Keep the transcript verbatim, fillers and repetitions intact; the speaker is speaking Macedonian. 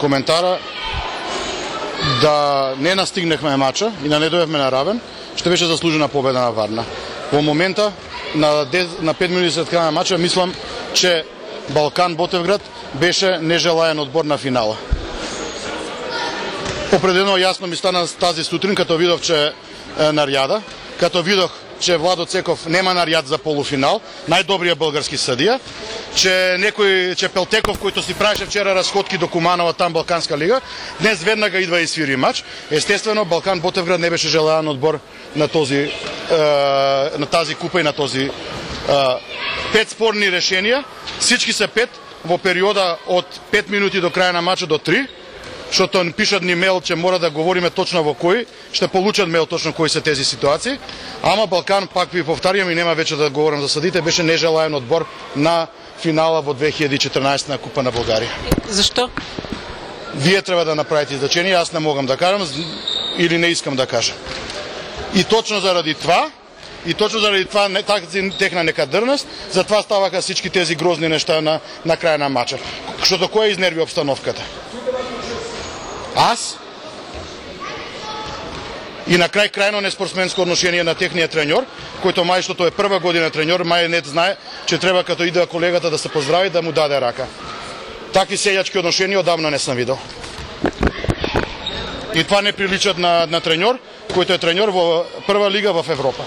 коментара да не настигнахме мача и да не дојдевме на равен, што беше заслужена победа на Варна. Во момента, на, на пет минути след крај на мача, мислам, че Балкан Ботевград беше нежелаен одбор на финала. Определено јасно ми стана тази сутрин, като видов, че е, нарјада, като видох, че Владо Цеков нема нарјад за полуфинал, најдобриот български судија, че некој, че Пелтеков, којто си правеше вчера расходки до Куманова, там Балканска лига, днес веднага идва и свири мач. Естествено, Балкан Ботевград не беше желаен одбор на този е, на тази купа и на този е, пет спорни решенија, всички се пет во периода од пет минути до крај на мачот до три, што пишат ни мейл, че мора да говориме точно во кои, ще получат мейл точно кои се тези ситуации. Ама Балкан, пак ви повтарјам и нема веќе да говорам за съдите, беше нежелаен одбор на финала во две хиляди и четрнаесета на Купа на Българија. Зашто? Вие треба да направите изречение, аз не могам да кажам или не искам да кажам. И точно заради това, и точно заради това тази техна некадърност, затова ставаха всички тези грозни неща на, на крај на мача. Што кој изнерви обстановката? Аз? И на крај крајно неспортсменско одношение на техниот треньор, којто мај што тој е прва година треньор, мај не знае, че треба като иде колегата да се поздрави, да му даде рака. Таки сејачки одношенија одамна не сам видел. И това не приличат на, на треньор, којто е треньор во прва лига в Европа.